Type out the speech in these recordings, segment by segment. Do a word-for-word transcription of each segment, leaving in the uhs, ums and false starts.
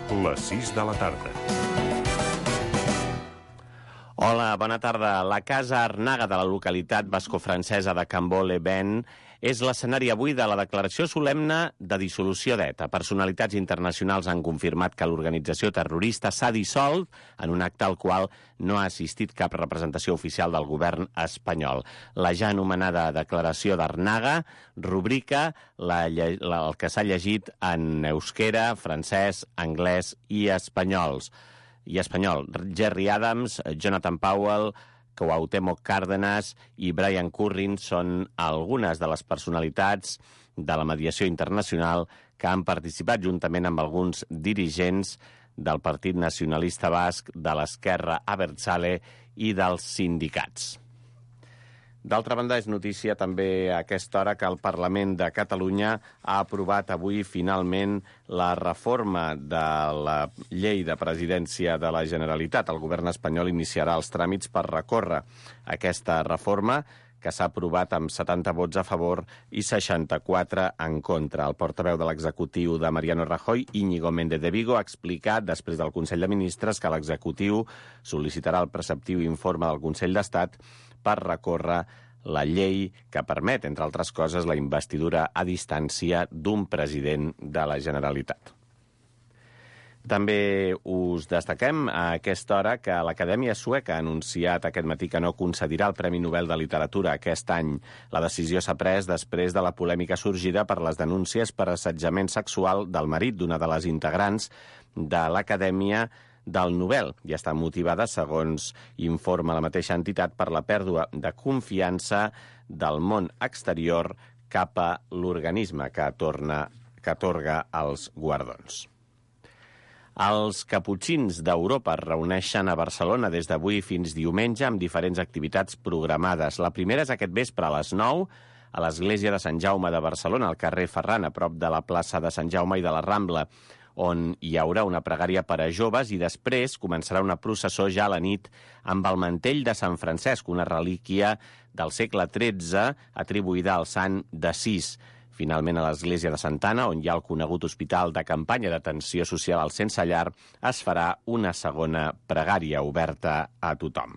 Les sis de la tarda. Hola, bona tarda. La Casa Arnaga de la localitat bascofrancesa de Cambó-les-Bains és l'escenari avui de la declaració solemne de dissolució d'ETA. Personalitats internacionals han confirmat que l'organització terrorista s'ha dissolt en un acte al qual no ha assistit cap representació oficial del govern espanyol. La ja anomenada declaració d'Arnaga rubrica la, la, el que s'ha llegit en euskera, francès, anglès i espanyols. i espanyol. Gerry Adams, Jonathan Powell, Cuauhtémoc Cárdenas i Brian Currin són algunes de les personalitats de la mediació internacional que han participat juntament amb alguns dirigents del Partit Nacionalista Basc, de l'Esquerra Abertzale i dels sindicats. D'altra banda, és notícia també a aquesta hora que el Parlament de Catalunya ha aprovat avui finalment la reforma de la llei de presidència de la Generalitat. El govern espanyol iniciarà els tràmits per recórrer aquesta reforma, que s'ha aprovat amb setanta vots a favor i seixanta-quatre en contra. El portaveu de l'executiu de Mariano Rajoy, Íñigo Méndez de Vigo, ha explicat després del Consell de Ministres que l'executiu sol·licitarà el preceptiu informe del Consell d'Estat per recórrer la llei que permet, entre altres coses, la investidura a distància d'un president de la Generalitat. També us destaquem a aquesta hora que l'Acadèmia Sueca ha anunciat aquest matí que no concedirà el Premi Nobel de Literatura aquest any. La decisió s'ha pres després de la polèmica sorgida per les denúncies per assetjament sexual del marit d'una de les integrants de l'Acadèmia del Nobel, i està motivada, segons informa la mateixa entitat, per la pèrdua de confiança del món exterior cap a l'organisme que torna, que atorga els guardons. Els caputxins d'Europa es reuneixen a Barcelona des d'avui fins diumenge amb diferents activitats programades. La primera és aquest vespre a les nou a l'Església de Sant Jaume de Barcelona, al carrer Ferran, a prop de la plaça de Sant Jaume i de la Rambla, on hi haurà una pregària per a joves i després començarà una processó ja a la nit amb el mantell de Sant Francesc, una relíquia del segle tretze atribuïda al sant d'Assís. Finalment, a l'església de Santa Anna, on hi ha el conegut hospital de campanya d'atenció social al sense llar, es farà una segona pregària oberta a tothom.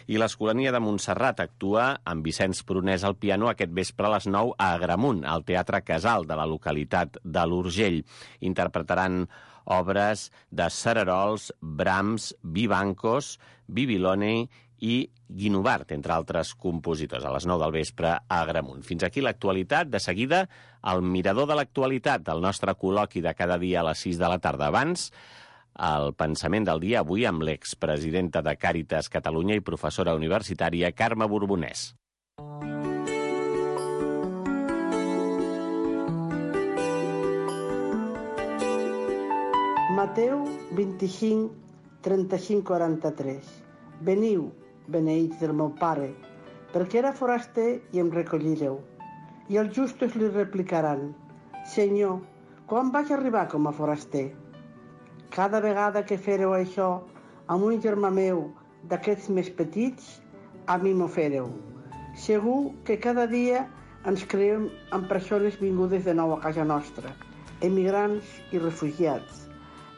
I l'Escolania de Montserrat actua amb Vicenç Prunès al piano aquest vespre a les nou a Agramunt, al Teatre Casal de la localitat de l'Urgell. Interpretaran obres de Cererols, Brahms, Vivancos, Bibiloni i Guinovart, entre altres compositors, a les nou del vespre a Agramunt. Fins aquí l'actualitat. De seguida, el mirador de l'actualitat, el nostre col·loqui de cada dia a les sis de la tarda. Abans, el pensament del dia avui amb l'expresidenta de Càritas Catalunya i professora universitària Carme Borbonès. Mateu vint-i-cinc, trenta-cinc, quaranta-tres. Veniu, beneïts del meu Pare, perquè era foraster i em recollireu. I els justos li replicaran: Senyor, quan vaig arribar com a foraster? Cada vegada que fèreu això amb un germà meu d'aquests més petits, a mi m'ho fèreu. Segur que cada dia ens creem amb persones vingudes de nou a casa nostra, emigrants i refugiats,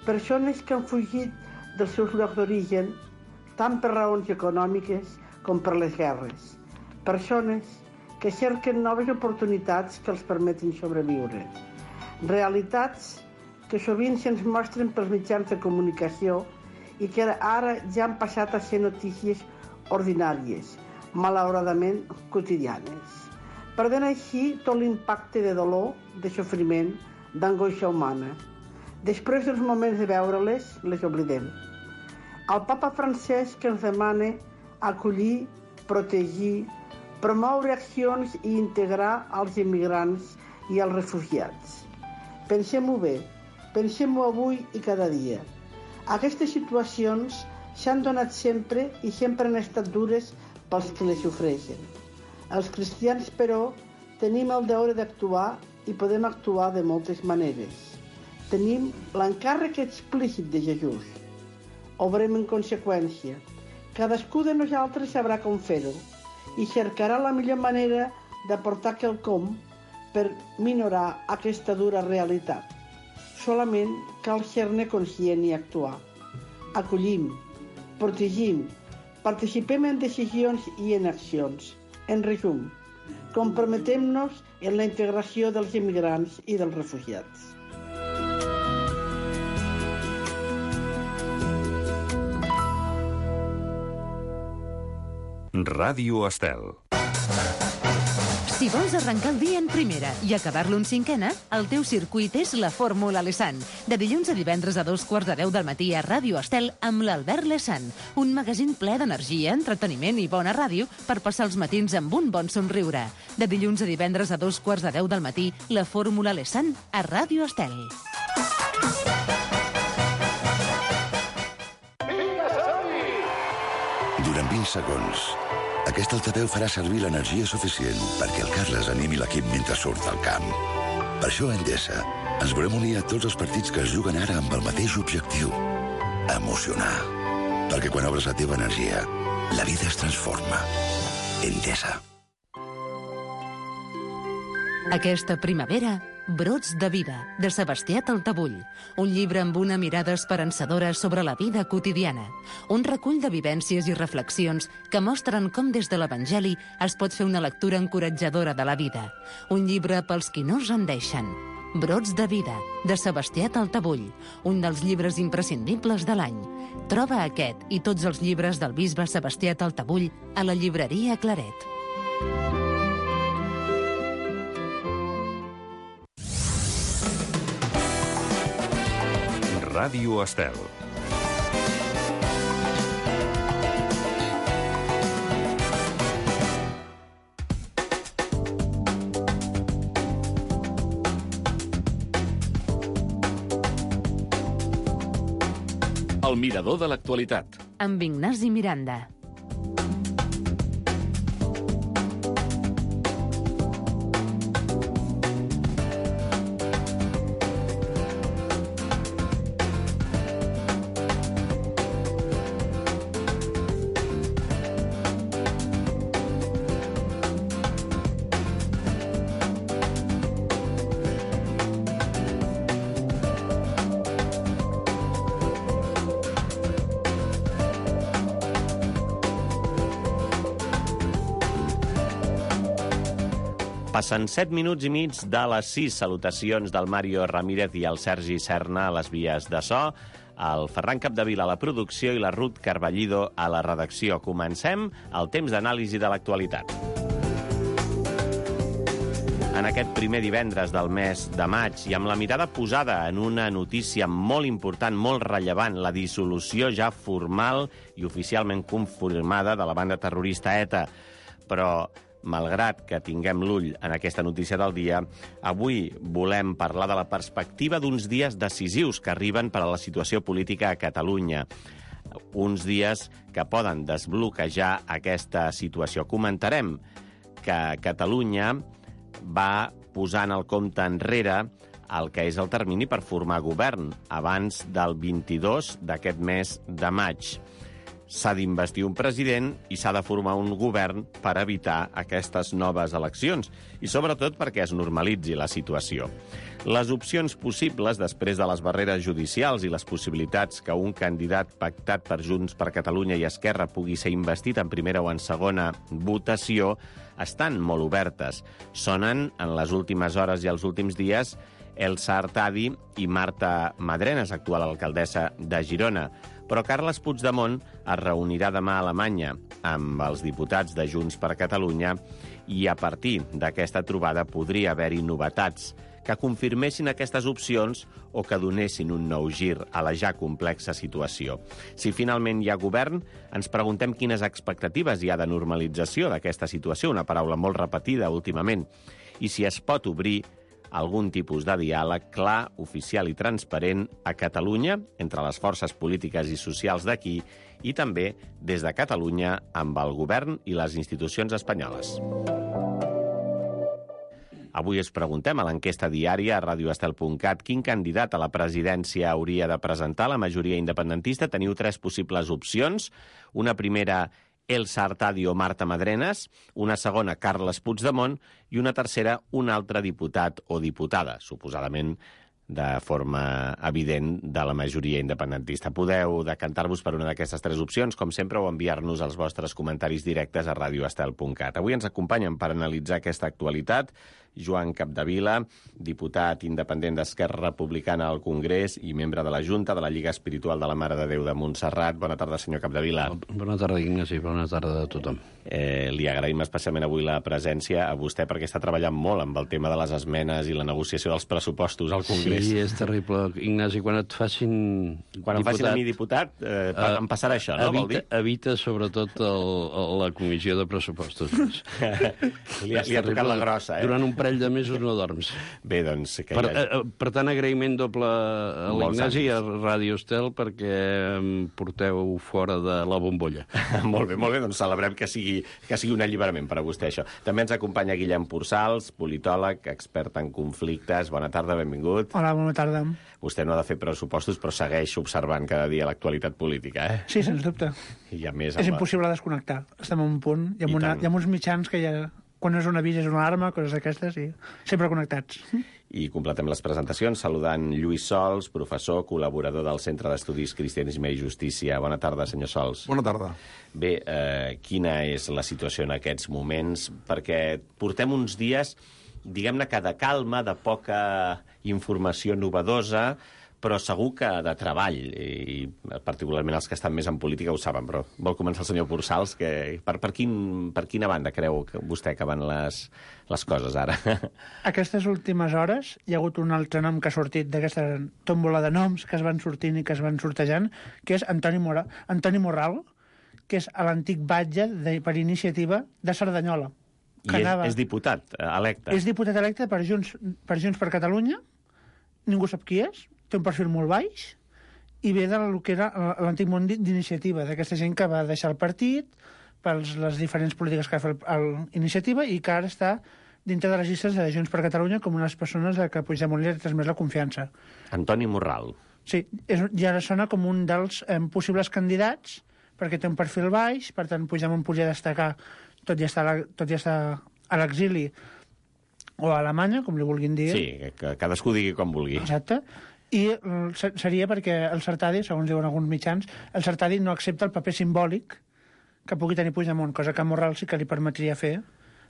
persones que han fugit dels seus llocs d'origen tant per raons econòmiques com per les guerres, persones que cerquen noves oportunitats que els permetin sobreviure, realitats que sovint se'ns mostren pels mitjans de comunicació i que ara ja han passat a ser notícies ordinàries, malauradament quotidianes, perdent així tot l'impacte de dolor, de sofriment, d'angoixa humana. Després dels moments de veure-les, les oblidem. El papa Francesc ens demana acollir, protegir, promoure accions i integrar els immigrants i els refugiats. Pensem-ho bé. Pensem-ho avui i cada dia. Aquestes situacions s'han donat sempre i sempre han estat dures pels que les sofreixen. Els cristians, però, tenim el deure d'actuar i podem actuar de moltes maneres. Tenim l'encàrrec explícit de Jesús. Obrem en conseqüència. Cadascú de nosaltres sabrà com fer-ho i cercarà la millor manera d'aportar quelcom per minorar aquesta dura realitat. solament cal ser-ne conscient i actuar. Acollim, protegim, participem en decisions i en accions. En resum, comprometem-nos en la integració dels immigrants i dels refugiats. Ràdio Estel. Si vols arrencar el dia en primera i acabar-lo en cinquena, el teu circuit és la Fórmula Lesan. De dilluns a divendres a dos quarts de deu del matí a Ràdio Estel amb l'Albert Lesan. Un magazín ple d'energia, entreteniment i bona ràdio per passar els matins amb un bon somriure. De dilluns a divendres a dos quarts de deu del matí, la Fórmula Lesan a Ràdio Estel. Durant vint segons, aquest altaveu farà servir l'energia suficient perquè el Carles animi l'equip mentre surt al camp. Per això a Endesa ens volem unir a tots els partits que es juguen ara amb el mateix objectiu: emocionar. Perquè quan obres la teva energia, la vida es transforma. Endesa. Aquesta primavera, Brots de vida, de Sebastià Taltabull. Un llibre amb una mirada esperançadora sobre la vida quotidiana. Un recull de vivències i reflexions que mostren com des de l'Evangeli es pot fer una lectura encoratjadora de la vida. Un llibre pels qui no es rendeixen. Brots de vida, de Sebastià Taltabull. Un dels llibres imprescindibles de l'any. Troba aquest i tots els llibres del bisbe Sebastià Taltabull a la llibreria Claret. Ràdio Estel. El mirador de l'actualitat. Amb Ignasi Miranda. Passen set minuts i mig de les sis. Salutacions del Mario Ramírez i el Sergi Serna a les vies de so, el Ferran Capdevila a la producció i la Ruth Carballido a la redacció. Comencem el temps d'anàlisi de l'actualitat. En aquest primer divendres del mes de maig i amb la mirada posada en una notícia molt important, molt rellevant, la dissolució ja formal i oficialment confirmada de la banda terrorista ETA. Però malgrat que tinguem l'ull en aquesta notícia del dia, avui volem parlar de la perspectiva d'uns dies decisius que arriben per a la situació política a Catalunya. Uns dies que poden desbloquejar aquesta situació. Comentarem que Catalunya va posant el compte enrere el que és el termini per formar govern abans del vint-i-dos d'aquest mes de maig. S'ha d'investir un president i s'ha de formar un govern per evitar aquestes noves eleccions i, sobretot, perquè es normalitzi la situació. Les opcions possibles després de les barreres judicials i les possibilitats que un candidat pactat per Junts per Catalunya i Esquerra pugui ser investit en primera o en segona votació estan molt obertes. Sonen en les últimes hores i els últims dies Elsa Artadi i Marta Madrenas, actual alcaldessa de Girona. Però Carles Puigdemont es reunirà demà a Alemanya amb els diputats de Junts per Catalunya i a partir d'aquesta trobada podria haver-hi novetats que confirmessin aquestes opcions o que donessin un nou gir a la ja complexa situació. Si finalment hi ha govern, ens preguntem quines expectatives hi ha de normalització d'aquesta situació, una paraula molt repetida últimament, i si es pot obrir algun tipus de diàleg clar, oficial i transparent a Catalunya, entre les forces polítiques i socials d'aquí, i també des de Catalunya amb el govern i les institucions espanyoles. Avui es preguntem a l'enquesta diària a radioestel punt cat quin candidat a la presidència hauria de presentar la majoria independentista. Teniu tres possibles opcions. Una primera, Elsa Artadi o Marta Madrenas, una segona, Carles Puigdemont, i una tercera, un altre diputat o diputada, suposadament de forma evident de la majoria independentista. Podeu decantar-vos per una d'aquestes tres opcions, com sempre, o enviar-nos els vostres comentaris directes a radio estel punt cat. Avui ens acompanyen per analitzar aquesta actualitat Joan Capdevila, diputat independent d'Esquerra Republicana al Congrés i membre de la Junta de la Lliga Espiritual de la Mare de Déu de Montserrat. Bona tarda, senyor Capdevila. Bona tarda, Ignasi. Bona tarda a tothom. Eh, li agraïm especialment avui la presència a vostè perquè està treballant molt amb el tema de les esmenes i la negociació dels pressupostos al Congrés. Sí, és terrible. Ignasi, quan et facin Quan diputat, em facin a mi diputat, eh, uh, em passarà això, no? Evita, vol dir? evita sobretot el, el, la comissió de pressupostos. li, ha, li ha tocat la grossa, eh? Durant un parell de mesos no dorms. Bé, doncs... Que Per, ha... eh, per tant, agraïment doble a l'Ignasi i a Ràdio Estel perquè em porteu fora de la bombolla. Molt bé, molt bé, doncs celebrem que sigui, que sigui un alliberament per a vostè, això. També ens acompanya Guillem Pursals, politòleg, expert en conflictes. Bona tarda, benvingut. Hola, bona tarda. Vostè no ha de fer pressupostos, però segueix observant cada dia l'actualitat política, eh? Sí, sens dubte. I a més... És la... impossible desconnectar. Estem en un punt. Hi ha, I una, tant. hi ha uns mitjans que ja... Quan és un avís és una alarma, coses d'aquestes, i sempre connectats. I completem les presentacions saludant Lluís Sols, professor, col·laborador del Centre d'Estudis Cristianisme i Justícia. Bona tarda, senyor Sols. Bona tarda. Bé, eh, quina és la situació en aquests moments? Perquè portem uns dies, diguem-ne que de calma, de poca informació novedosa, però segur que de treball, i particularment els que estan més en política ho saben, però vol començar el senyor Pursals, que per, per, quin, per quina banda creu que vostè que van les, les coses ara? Aquestes últimes hores hi ha hagut un altre nom que ha sortit d'aquesta tómbola de noms que es van sortint i que es van sortejant, que és Antoni, Mora, Antoni Morral, que és l'antic batlle de, per iniciativa de Cerdanyola. I és, anava... és diputat electe. És diputat electe per Junts, per Junts per Catalunya, ningú sap qui és, té un perfil molt baix, i ve del que era l'antic món d'iniciativa, d'aquesta gent que va deixar el partit per les diferents polítiques que va fer l'iniciativa i que ara està dintre de les llistes de Junts per Catalunya com una de les persones a que Puigdemont li ha transmès la confiança. Antoni Morral. Sí, és, i ara sona com un dels eh, possibles candidats perquè té un perfil baix, per tant Puigdemont podria destacar tot i estar, tot i estar a l'exili o a Alemanya, com li vulguin dir. Sí, que cadascú digui com vulgui. Exacte. I seria perquè el Sartadi, segons diuen alguns mitjans, el Sartadi no accepta el paper simbòlic que pugui tenir Puigdemont, cosa que a Morral sí que li permetria fer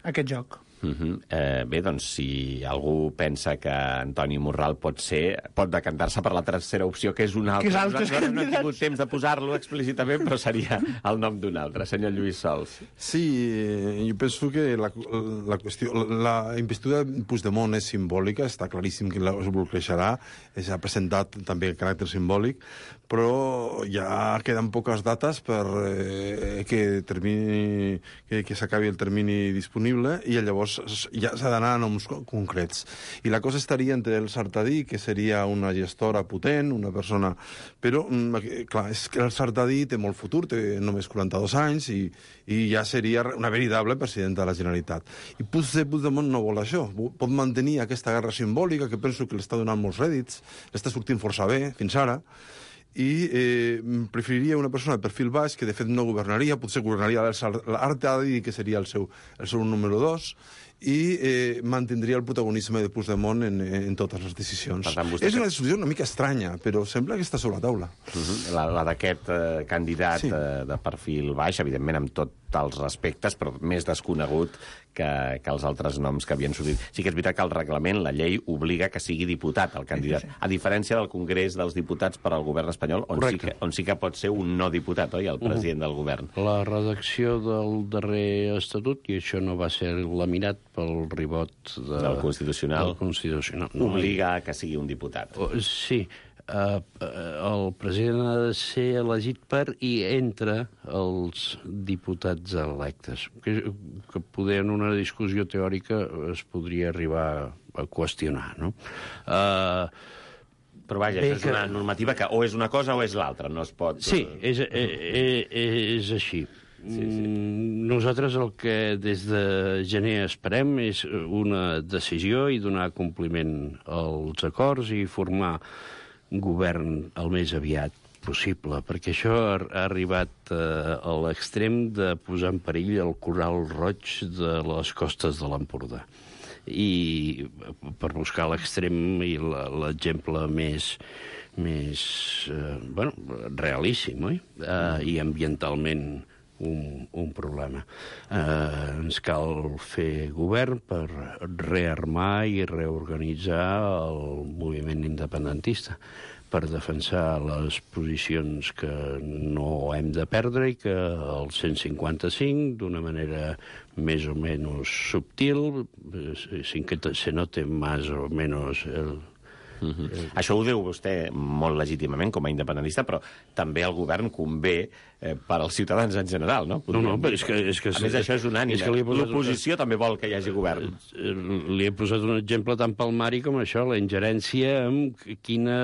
aquest joc. Uh-huh. eh, bé, doncs, si algú pensa que Antoni Morral pot ser, pot decantar-se per la tercera opció, que és una altra. Que és altres Nosaltres no hem tingut temps de posar-lo explícitament, però seria el nom d'un altre. Senyor Lluís Sols. Sí, jo penso que la, la qüestió... La investidura de Puigdemont és simbòlica, està claríssim que es bloquejarà, s'ha presentat també el caràcter simbòlic, però ja queden poques dates per eh, que, termini, que, que s'acabi el termini disponible i llavors ja s'ha d'anar a noms concrets. I la cosa estaria entre el Sartadi, que seria una gestora potent, una persona... Però, clar, és que el Sartadi té molt futur, té només quaranta-dos anys i, i ja seria una veritable presidenta de la Generalitat. I potser Puigdemont no vol això. Pot mantenir aquesta guerra simbòlica, que penso que l'està donant molts rèdits, l'està sortint força bé, fins ara, i eh, preferiria una persona de perfil baix que de fet no governaria, potser governaria l'Artadi, que seria el seu, el seu número dos, i eh, mantindria el protagonisme de Puigdemont en, en totes les decisions. Tant, és una decisió una mica estranya, però sembla que està sobre la taula. Uh-huh. La, la d'aquest eh, candidat sí. eh, de perfil baix, evidentment amb tots els respectes, però més desconegut que, que els altres noms que havien sortit. Sí que és veritat que el reglament, la llei, obliga que sigui diputat el candidat, a diferència del Congrés dels Diputats per al govern espanyol, on sí, que, on sí que pot ser un no diputat, oi, el president uh-huh. del govern. La redacció del darrer estatut, i això no va ser laminat pel ribot de, del Constitucional, del Constitucional. No, obliga que sigui un diputat. Sí. Uh, el president ha de ser elegit per i entre els diputats electes. Que, que poder en una discussió teòrica es podria arribar a qüestionar, no? Uh, Però vaja, això és una normativa que o és una cosa o és l'altra, no es pot... Sí, és, és, és així. Sí, sí. Nosaltres el que des de gener esperem és una decisió i donar compliment als acords i formar govern el més aviat possible, perquè això ha, ha arribat eh, a l'extrem de posar en perill el coral roig de les costes de l'Empordà. i per buscar l'extrem i l'exemple més més eh, bueno, realíssim, oi? Eh, I ambientalment un, un problema. Eh, ens cal fer govern per rearmar i reorganitzar el moviment independentista, per defensar les posicions que no hem de perdre i que el cent cinquanta-cinc, d'una manera més o menys subtil, sin que se note más o menos el... Uh-huh. Eh, Això ho diu vostè molt legítimament com a independentista, però també al govern convé eh, per als ciutadans en general, no? Podríem no, no, però és que... És que a més, això és unànime. L'oposició també vol que hi hagi govern. Li he posat un exemple tan palmari com això, la ingerència en quina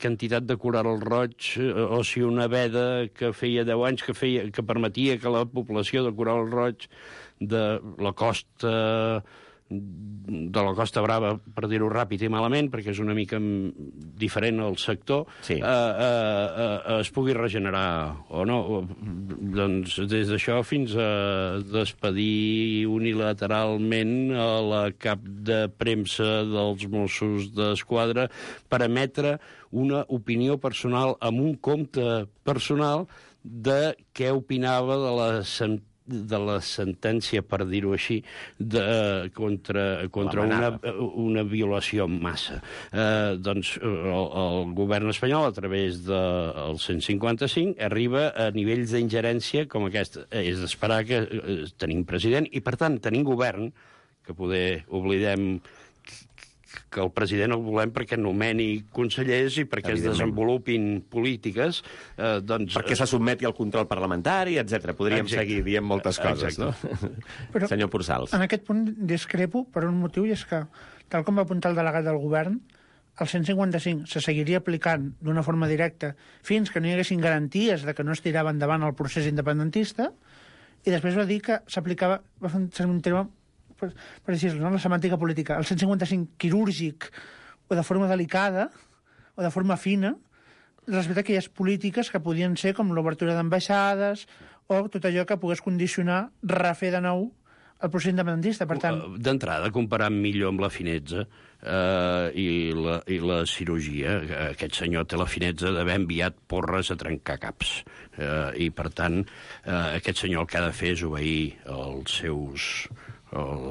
quantitat de coral roig, o si una veda que feia deu anys que, feia, que permetia que la població de coral roig de la costa... de la Costa Brava, per dir-ho ràpid i malament, perquè és una mica diferent al sector, sí. eh, eh, eh, es pugui regenerar o no. Doncs des d'això fins a despedir unilateralment a la cap de premsa dels Mossos d'Esquadra per emetre una opinió personal amb un compte personal de què opinava de la sentència de la sentència, per dir-ho així, de, contra, contra una, una violació en massa. Eh, doncs el, el govern espanyol, a través del cent cinquanta-cinc, arriba a nivells d'ingerència com aquesta. És d'esperar que eh, tenim president i, per tant, tenim govern, que poder oblidem que el president el volem perquè nomeni consellers i perquè es desenvolupin polítiques, eh, doncs... Perquè se sotmeti al control parlamentari, etcètera. Podríem Exacte. seguir dient moltes coses, Exacte. no? Però, senyor Pursals. En aquest punt discrepo per un motiu, i és que, tal com va apuntar el delegat del govern, el cent cinquanta-cinc se seguiria aplicant d'una forma directa fins que no hi haguessin garanties de que no es tirava endavant el procés independentista, i després va dir que s'aplicava, va fer un terme per, per dir-ho, no? La semàntica política, el cent cinquanta-cinc quirúrgic o de forma delicada o de forma fina respecte a aquelles polítiques que podien ser com l'obertura d'ambaixades o tot allò que pogués condicionar refer de nou el procés independentista. Per tant... D'entrada, comparant millor amb la finezza eh, i, la, i la cirurgia, aquest senyor té la finezza d'haver enviat porres a trencar caps. Eh, I, per tant, eh, aquest senyor el que ha de fer és obeir els seus... El,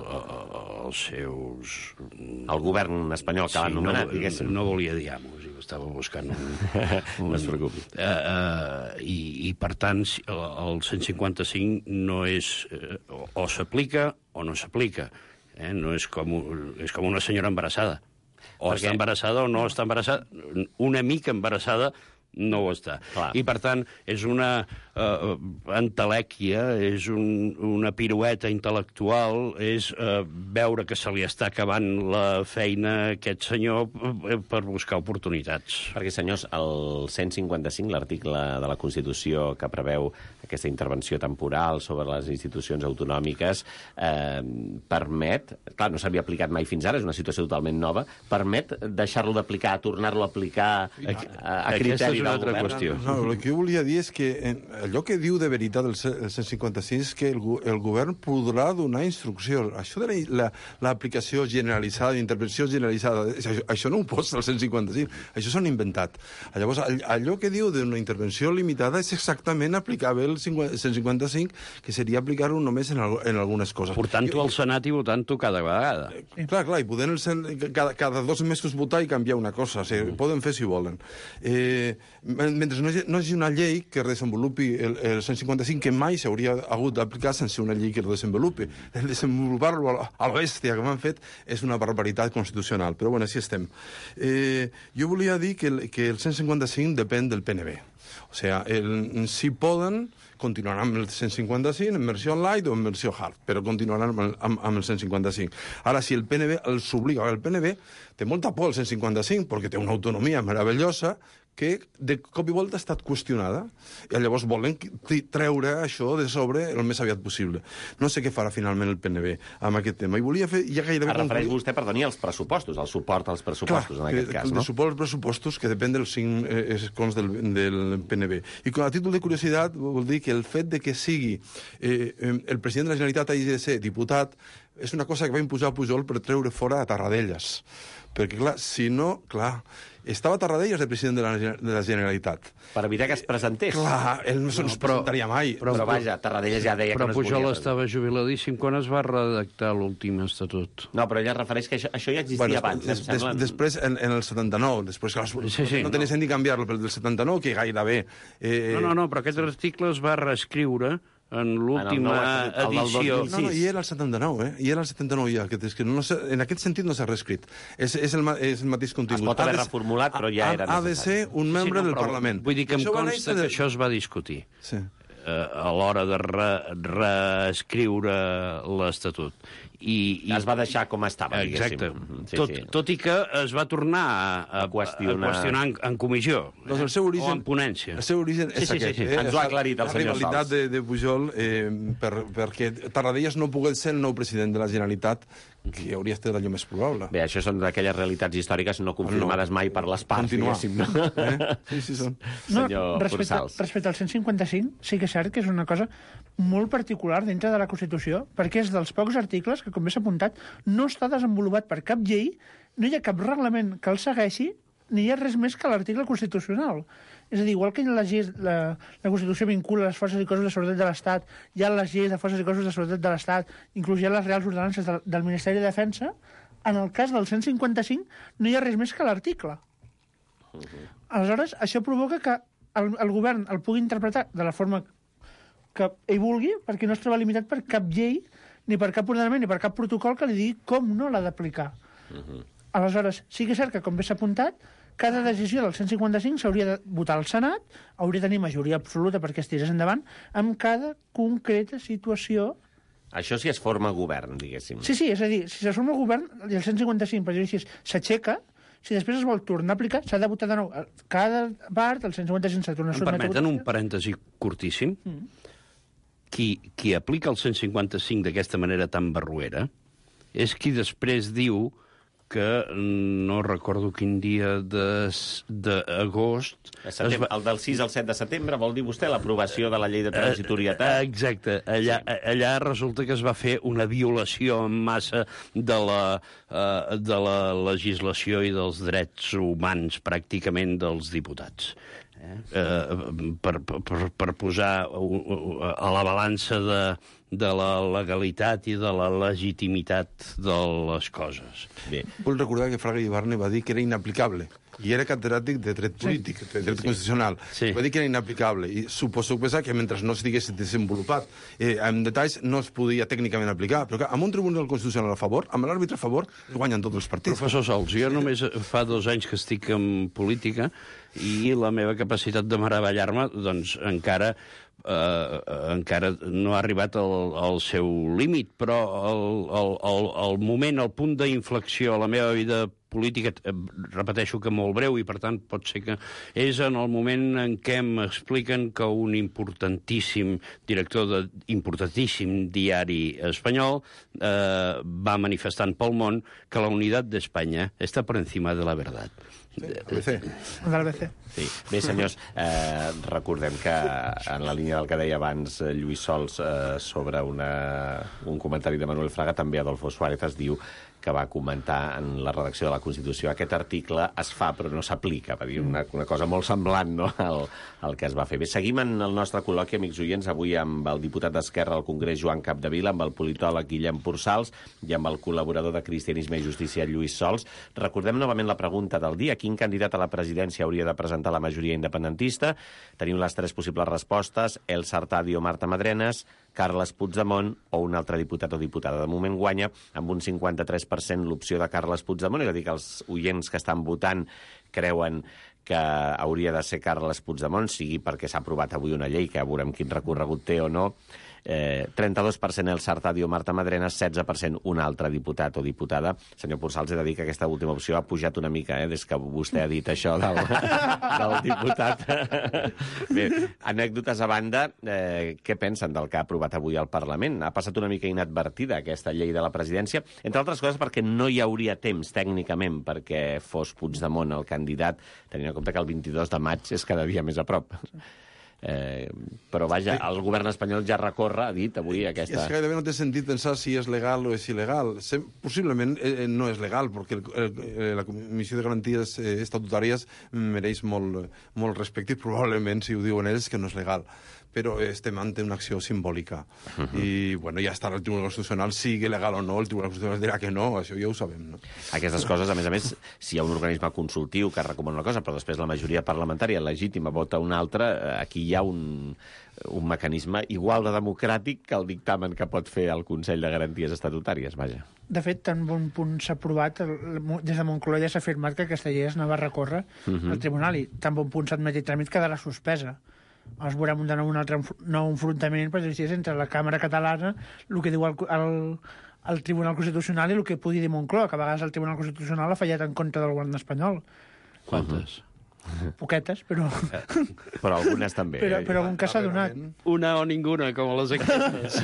els seus... El govern espanyol que sí, l'ha anomenat, no, diguéssim. No volia dir amos, estava buscant un... un no es preocupi. Uh, uh, i, I, per tant, el cent cinquanta-cinc no és... Uh, o s'aplica o no s'aplica. Eh? No és com, és com una senyora embarassada. O Perquè... està embarassada o no està embarassada. Una mica embarassada no ho està. Clar. I, per tant, és una uh, entelèquia, és un, una pirueta intel·lectual, és uh, veure que se li està acabant la feina a aquest senyor per buscar oportunitats. Perquè, senyors, el cent cinquanta-cinc, l'article de la Constitució que preveu aquesta intervenció temporal sobre les institucions autonòmiques, eh, permet, clar, no s'havia aplicat mai fins ara, és una situació totalment nova, permet deixar-lo d'aplicar, tornar-lo a aplicar a, a, a criteri una altra qüestió. No, el que jo volia dir és que allò que diu de veritat el cent cinquanta-cinc és que el, el govern podrà donar instrucció. Això de l'aplicació la, generalitzada, intervenció generalitzada, això, això no ho posa el cent cinquanta-cinc, això s'han inventat. Llavors, allò que diu d'una intervenció limitada és exactament aplicar bé el cent cinquanta-cinc, que seria aplicar-ho només en, en algunes coses. Portant-ho al Senat i votant-ho cada vegada. Sí. Clar, clar, i podent el, cada, cada dos mesos votar i canviar una cosa. O sigui, mm. Poden fer si volen. Eh, mentre no hi, no hi hagi una llei que desenvolupi el, el cent cinquanta-cinc, que mai s'hauria hagut d'aplicar sense una llei que el desenvolupi. El desenvolupar-lo a, a la bèstia que m'han fet és una barbaritat constitucional, però bueno, així estem. Eh, jo volia dir que el, que el cent cinquanta-cinc depèn del P N B. O sigui, el, si poden, continuaran amb el cent cinquanta-cinc en versió light o en versió hard, però continuaran amb, amb, amb el cent cinquanta-cinc. Ara, si el P N B els obliga, el P N B té molta por al cent cinquanta-cinc perquè té una autonomia meravellosa que de cop i volta ha estat qüestionada, i llavors volen treure això de sobre el més aviat possible. No sé què farà finalment el P N B amb aquest tema. I volia fer ja gairebé... Es refereix vostè, perdoni, als pressupostos, al suport als pressupostos, clar, en aquest que, cas, no? El suport als pressupostos, que depèn dels cinc eh, escons del, del P N B. I com a títol de curiositat, vol dir que el fet de que sigui eh, el president de la Generalitat hagi de ser diputat és una cosa que va imposar Pujol per treure fora a Tarradellas. Perquè, clar, si no, clar, estava Tarradellas de president de la, de la Generalitat. Per evitar que es presentés. Clar, ell no se'ns no, presentaria mai. Però, però vaja, Tarradellas ja deia però que no es Pujol volia. estava jubiladíssim quan es va redactar l'últim estatut. No, però ella refereix que això, això ja existia bueno, abans. Des, des, des, després, en, en el setanta-nou, després, clar, sí, sí, no tenia sentit ni canviar-lo, però del setanta-nou, que gairebé... Eh, no, no, no, però aquest article es va reescriure en l'última edició. No, no, i era el setanta-nou, eh? I era el setanta-nou ja, que, és que no en aquest sentit no s'ha reescrit. És, és, el, és el mateix contingut. Es pot haver reformulat, però ja era necessari. Ha de ser un membre sí, no, del Parlament. Vull dir que em consta que això es va discutir. Sí. A l'hora de re, reescriure l'Estatut. I, i... Es va deixar com estava, diguéssim. Exacte. Sí, tot, sí. tot i que es va tornar a, a, a qüestionar, a qüestionar en, en comissió, doncs el seu origen, o en ponència. El seu origen és sí, sí, aquest. Sí, sí. Eh? Ens ho ha aclarit el senyor Sals. La rivalitat de, de Pujol, eh, per, perquè Tarradellas no pogués ser el nou president de la Generalitat, que hauria estat allò més probable. Bé, això són d'aquelles realitats històriques no confirmades no. mai per les parts, Continuar. diguéssim. No? Eh? Sí, sí, són. No, senyor respecte, Pursals. respecte al cent cinquanta-cinc, sí que és cert que és una cosa molt particular dintre de la Constitució, perquè és dels pocs articles que, com bé s'ha apuntat, no està desenvolupat per cap llei, no hi ha cap reglament que el segueixi, ni hi ha res més que l'article constitucional. És a dir, igual que la, llei, la, la Constitució vincula les forces i cossos de seguretat de l'Estat, hi ha les lleis de forces i cossos de seguretat de l'Estat, inclús hi ha les reals ordenances del, del Ministeri de Defensa, en el cas del cent cinquanta-cinc no hi ha res més que l'article. Uh-huh. Aleshores, això provoca que el, el govern el pugui interpretar de la forma que ell vulgui, perquè no es troba limitat per cap llei, ni per cap ordenament, ni per cap protocol que li digui com no l'ha d'aplicar. Uh-huh. Aleshores, sí que és cert que, com bé s'ha apuntat, cada decisió del cent cinquanta-cinc s'hauria de votar al Senat, hauria de tenir majoria absoluta perquè es tirés endavant, amb cada concreta situació. Això si es forma govern, diguéssim. Sí, sí, és a dir, si es forma govern, i el cent cinquanta-cinc, per dir-ho així, s'aixeca, si després es vol tornar a aplicar, s'ha de votar de nou. Cada part, el cent cinquanta-cinc s'ha tornat a sotmetre. Em permeten un parèntesi curtíssim? Mm. Qui, qui aplica el cent cinquanta-cinc d'aquesta manera tan barruera és qui després diu que no recordo quin dia d'agost... Va... El del sis al set de setembre, vol dir vostè l'aprovació de la llei de transitorietat? Exacte. Allà, sí. allà resulta que es va fer una violació en massa de la, uh, de la legislació i dels drets humans, pràcticament, dels diputats. Eh? Uh, per, per, per posar a la balança de, de la legalitat i de la legitimitat de les coses. Bé. Vull recordar que Fraga Ibarne va dir que era inaplicable. I era catedràtic de dret polític, sí. de dret sí. constitucional. Sí. Va dir que era inaplicable. I suposo que mentre no s'estigués desenvolupat eh, en detalls no es podia tècnicament aplicar. Però clar, amb un tribunal constitucional a favor, amb l'àrbitre a favor, guanyen tots els partits. Professor Sols, jo només fa dos anys que estic en política i la meva capacitat de meravellar-me, doncs, encara... Uh, encara no ha arribat al, al seu límit, però el, el, el, el moment, el punt d'inflexió a la meva vida política, eh, repeteixo que molt breu, i per tant pot ser que és en el moment en què m'expliquen que un importantíssim director de importantíssim diari espanyol eh, va manifestant pel món que la unitat d'Espanya està per encima de la veritat. Sí, A B C. De l'A B C. Sí. Bé, senyors, eh, recordem que en la línia del que deia abans Lluís Sols eh, sobre una, un comentari de Manuel Fraga, també Adolfo Suárez es diu que va comentar en la redacció de la Constitució aquest article es fa però no s'aplica, va dir una, una cosa molt semblant, no?, al, al que es va fer. Bé, seguim en el nostre col·loqui, amics oients, avui amb el diputat d'Esquerra al Congrés, Joan Capdevila, amb el politòleg Guillem Pursals i amb el col·laborador de Cristianisme i Justícia, Lluís Sols. Recordem novament la pregunta del dia: quin candidat a la presidència hauria de presentar la majoria independentista? Tenim les tres possibles respostes: Elsa Artadi o Marta Madrenas, Carles Puigdemont o un altre diputat o diputada. De moment guanya amb un cinquanta-tres per cent l'opció de Carles Puigdemont, és a dir, que els oients que estan votant creuen que hauria de ser Carles Puigdemont, sigui perquè s'ha aprovat avui una llei que veurem quin recorregut té o no. Eh, trenta-dos per cent Elsa Artadi o Marta Madrenas, setze per cent un altre diputat o diputada. Senyor Pursals, he de dir que aquesta última opció ha pujat una mica, eh, des que vostè ha dit això del, del diputat. Bé, anècdotes a banda, eh, què pensen del que ha aprovat avui al Parlament? Ha passat una mica inadvertida aquesta llei de la presidència, entre altres coses perquè no hi hauria temps tècnicament perquè fos Puigdemont el candidat, tenint en compte que el vint-i-dos de maig és cada dia més a prop. Eh, però, vaja, el govern espanyol ja recorre, ha dit avui, aquesta... És que gairebé no té sentit pensar si és legal o és il·legal. Sem Possiblement eh, no és legal, perquè el, el, la Comissió de Garanties eh, Estatutàries mereix molt, molt respecte i probablement, si ho diuen ells, que no és legal. Però estem ante una acció simbòlica. Uh -huh. I, bueno, ja estarà el Tribunal Constitucional, sigui legal o no, el Tribunal Constitucional dirà que no, això ja ho sabem, no? Aquestes coses, a més a més, si hi ha un organisme consultiu que recomana una cosa, però després la majoria parlamentària legítima vota una altra, aquí hi ha un, un mecanisme igual de democràtic que el dictamen que pot fer el Consell de Garanties Estatutàries, vaja. De fet, tan bon punt s'ha aprovat, el, des de Moncloa ja s'ha afirmat que aquesta llei es anava a recórrer uh -huh. al Tribunal i tan bon punt s'admet i tràmit quedarà suspesa. Es veurem de nou un altre nou enfrontament per dir, entre la Càmera Catalana, el que diu el, el, el Tribunal Constitucional i el que pugui dir Moncloa, que a vegades el Tribunal Constitucional ha fallat en contra del govern espanyol. Quantes? Uh-huh. Poquetes, però... Però algunes també. Però, eh? però algun que s'ha donat. Una o ninguna, com a les enquestes.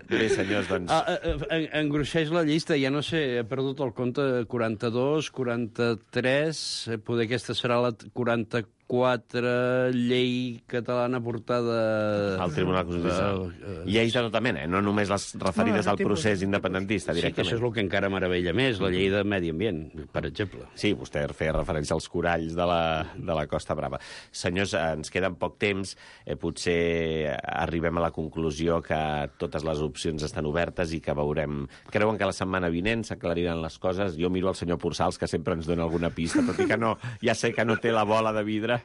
Bé, senyors, doncs... Ah, en, engruixeix la llista, ja no sé, he perdut el compte, quaranta-dos, quaranta-tres, poder aquesta serà la quaranta-quatre llei catalana portada... Al Tribunal Constitucional. Uh, uh, Lleis de tota mena, eh? No només les referides no, al procés tipus, independentista, directament. Sí, que això és el que encara meravella més, la llei de Medi Ambient, per exemple. Sí, vostè feia referència als coralls de la, de la Costa Brava. Senyors, ens queda poc temps, eh, potser arribem a la conclusió que totes les opcions estan obertes i que veurem... Creuen que la setmana vinent s'aclariran les coses? Jo miro al senyor Pursals, que sempre ens dona alguna pista, tot i que no, ja sé que no té la bola de vidre.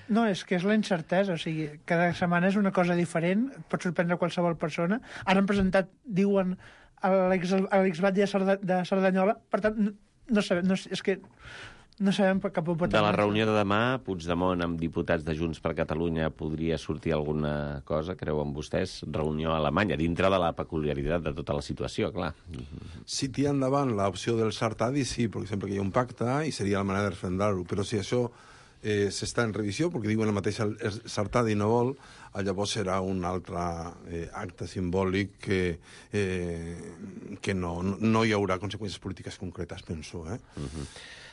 No, és que és la incertesa, o sigui, cada setmana és una cosa diferent, pot sorprendre qualsevol persona. Ara han presentat, diuen, l'exbat de, Cerda, de Cerdanyola, per tant, no, no sabem, no, és que no sabem cap on pot anar. De la reunió de demà, Puigdemont amb diputats de Junts per Catalunya podria sortir alguna cosa, creuen vostès? Reunió a Alemanya, dintre de la peculiaritat de tota la situació, clar. Si tira endavant l'opció del Sartadi, sí, perquè sempre que hi ha un pacte, i seria la manera de referendar-ho, però si això eh, s'està en revisió, perquè diuen el mateix el Sartadi no vol, llavors serà un altre eh, acte simbòlic que, eh, que no, no hi haurà conseqüències polítiques concretes, penso, eh? Uh-huh.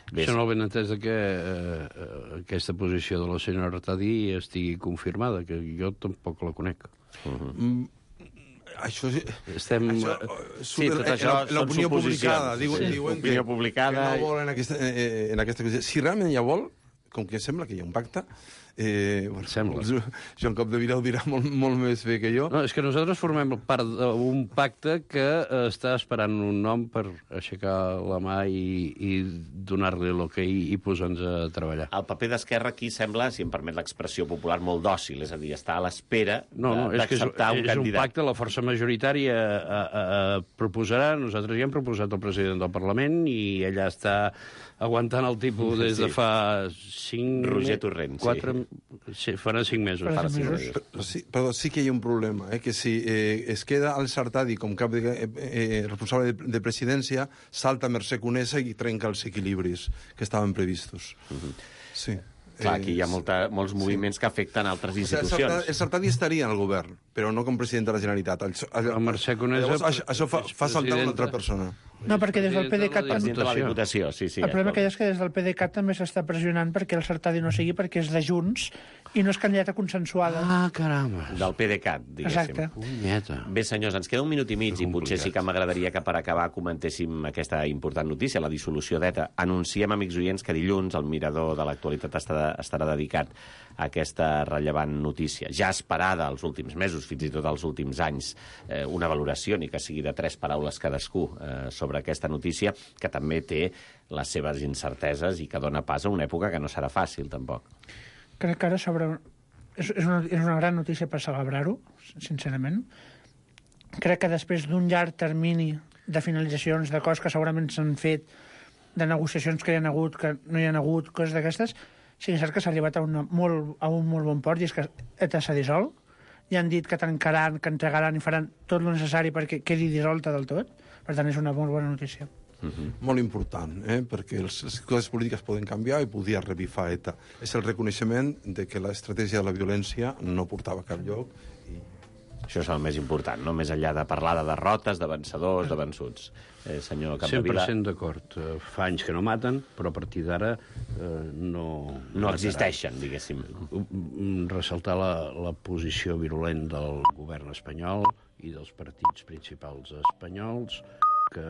Això no el ben entès que eh, aquesta posició de la senyora Artadi estigui confirmada, que jo tampoc la conec. Uh-huh. Mm, això... Estem... Això, sí, tot això són publicada, sí, diuen, sí. diuen Opinió que, publicada... que no volen aquesta, eh, en aquesta cosa. Si realment ja vol, com que sembla que hi ha un pacte, Eh, bueno, Sembla. Joan Capdevila ho dirà molt, molt més bé que jo. No, és que nosaltres formem part d'un pacte que eh, està esperant un nom per aixecar la mà i, i donar-li l'ok i, i posar-nos a treballar. El paper d'Esquerra aquí sembla, si em permet l'expressió popular, molt dòcil, és a dir, està a l'espera no, no, d'acceptar un candidat. És un pacte, la força majoritària a, a, a proposarà, nosaltres ja hem proposat el president del Parlament i ella està aguantant el tipus des de fa cinc... Roger Torrent, quatre, sí. sí. Farà cinc mesos. Farà cinc mesos. Però sí, però sí que hi ha un problema, eh? Que si eh, es queda el Sartadi com cap de, eh, eh, responsable de, de presidència, salta Mercè Conesa i trenca els equilibris que estaven previstos. Uh-huh. Sí. Clar, aquí hi ha molta, molts moviments sí. que afecten altres institucions. O sigui, el, Sartadi, el Sartadi estaria en el govern, però no com president de la Generalitat. El, el, el Mercè Conesa... Llavors, això, això fa, fa saltar una altra persona. No, perquè des del P D C A T... President de la Diputació, sí, sí. El problema que hi ha és que des del P D C A T també s'està pressionant perquè el Sartadi no sigui, perquè és de Junts i no és candidata consensuada. Ah, caramba. Del P D C A T, diguéssim. Exacte. Punyeta. Bé, senyors, ens queda un minut i mig i potser sí que m'agradaria que per acabar comentéssim aquesta important notícia, la dissolució d'ETA. Anunciem, amics oients, que dilluns el Mirador de l'Actualitat estarà, estarà dedicat a aquesta rellevant notícia. Ja esperada els últims mesos, fins i tot els últims anys, eh, una valoració, ni que sigui de tres paraules cadascú, eh, sobre aquesta notícia, que també té les seves incerteses i que dona pas a una època que no serà fàcil, tampoc. Crec que ara sobre... És, és, una, és una gran notícia per celebrar-ho, sincerament. Crec que després d'un llarg termini de finalitzacions, de coses que segurament s'han fet, de negociacions que hi ha hagut, que no hi ha hagut, coses d'aquestes, sí que és cert que s'ha arribat a, una, molt, a un molt bon port, i és que ETA s'ha dissolt. Ja han dit que tancaran, que entregaran i faran tot el necessari perquè quedi dissolta del tot. Per tant, és una molt bona notícia. Uh-huh. Molt important, eh? Perquè les, les coses polítiques poden canviar i podia revifar ETA. És el reconeixement de que l'estratègia de la violència no portava a cap lloc i Això és el més important, no? Més enllà de parlar de derrotes, de vencedors, de vençuts. Eh, senyor Capdevila... cent per cent d'acord. Fa anys que no maten, però a partir d'ara eh, no... No existeixen, diguéssim. Ressaltar la, la posició virulent del govern espanyol i dels partits principals espanyols, que